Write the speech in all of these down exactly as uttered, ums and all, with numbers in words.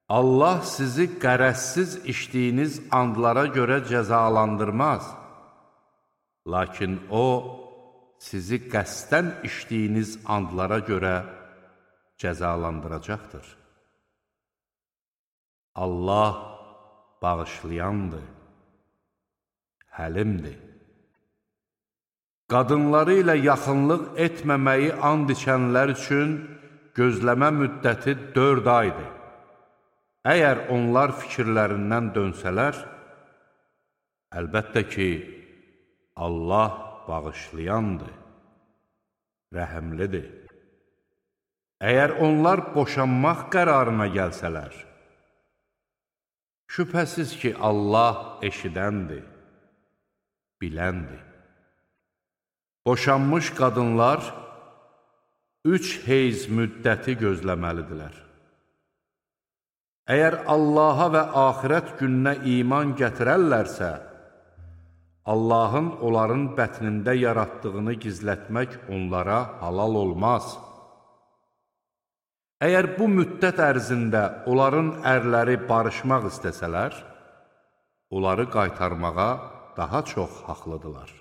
Allah sizi qərəzsiz içdiyiniz andlara görə cəzalandırmaz. Lakin O, sizi qəsdən içdiyiniz andlara görə cəzalandıracaqdır. Allah bağışlayandır, həlimdir. Qadınları ilə yaxınlıq etməməyi and içənlər üçün gözləmə müddəti dörd aydır. Əgər onlar fikirlərindən dönsələr, əlbəttə ki, Allah bağışlayandır, rəhəmlidir. Əgər onlar boşanmaq qərarına gəlsələr, şübhəsiz ki, Allah eşidəndir, biləndir. Boşanmış qadınlar üç heyz müddəti gözləməlidirlər. Əgər Allaha və axirət gününə iman gətirərlərsə, Allahın onların bətnində yaratdığını gizlətmək onlara halal olmaz. Əgər bu müddət ərzində onların ərləri barışmaq istəsələr, onları qaytarmağa daha çox haqlıdırlar.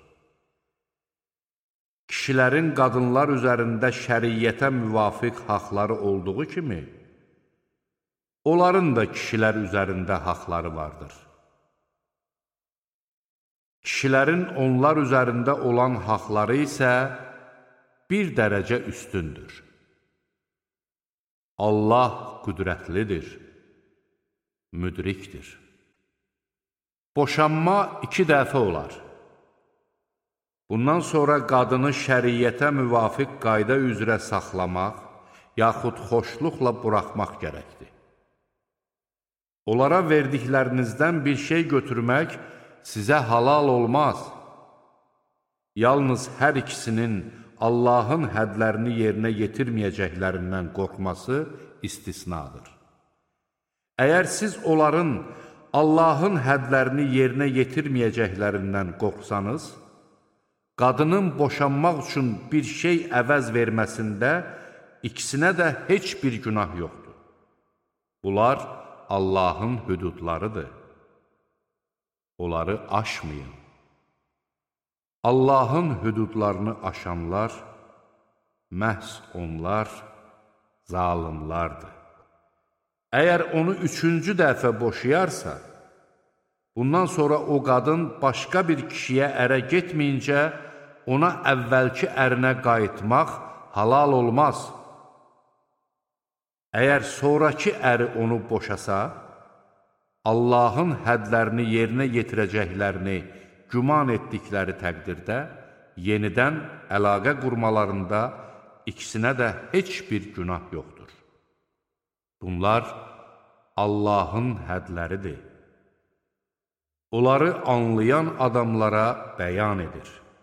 Kişilərin qadınlar üzərində şəriyyətə müvafiq haqları olduğu kimi, onların da kişilər üzərində haqları vardır. Kişilərin onlar üzərində olan haqları isə bir dərəcə üstündür. Allah qüdrətlidir, müdrikdir. Boşanma iki dəfə olar. Bundan sonra qadını şəriyyətə müvafiq qayda üzrə saxlamaq, yaxud xoşluqla buraxmaq gərəkdir. Onlara verdiklərinizdən bir şey götürmək sizə halal olmaz. Yalnız hər ikisinin Allahın hədlərini yerinə yetirməyəcəklərindən qorxması istisnadır. Əgər siz onların Allahın hədlərini yerinə yetirməyəcəklərindən qorxsanız, qadının boşanmaq üçün bir şey əvəz verməsində ikisinə də heç bir günah yoxdur. Bunlar Allahın hüdudlarıdır. Onları aşmayın. Allahın hüdudlarını aşanlar, məhz onlar zalimlardır. Əgər onu üçüncü dəfə boşayarsa, bundan sonra o qadın başqa bir kişiyə ərə getməyincə, ona əvvəlki ərinə qayıtmaq halal olmaz. Əgər sonraki əri onu boşasa, Allahın hədlərini yerinə yetirəcəklərini güman etdikləri təqdirdə, yenidən əlaqə qurmalarında ikisinə də heç bir günah yoxdur. Bunlar Allahın hədləridir. Onları anlayan adamlara bəyan edir.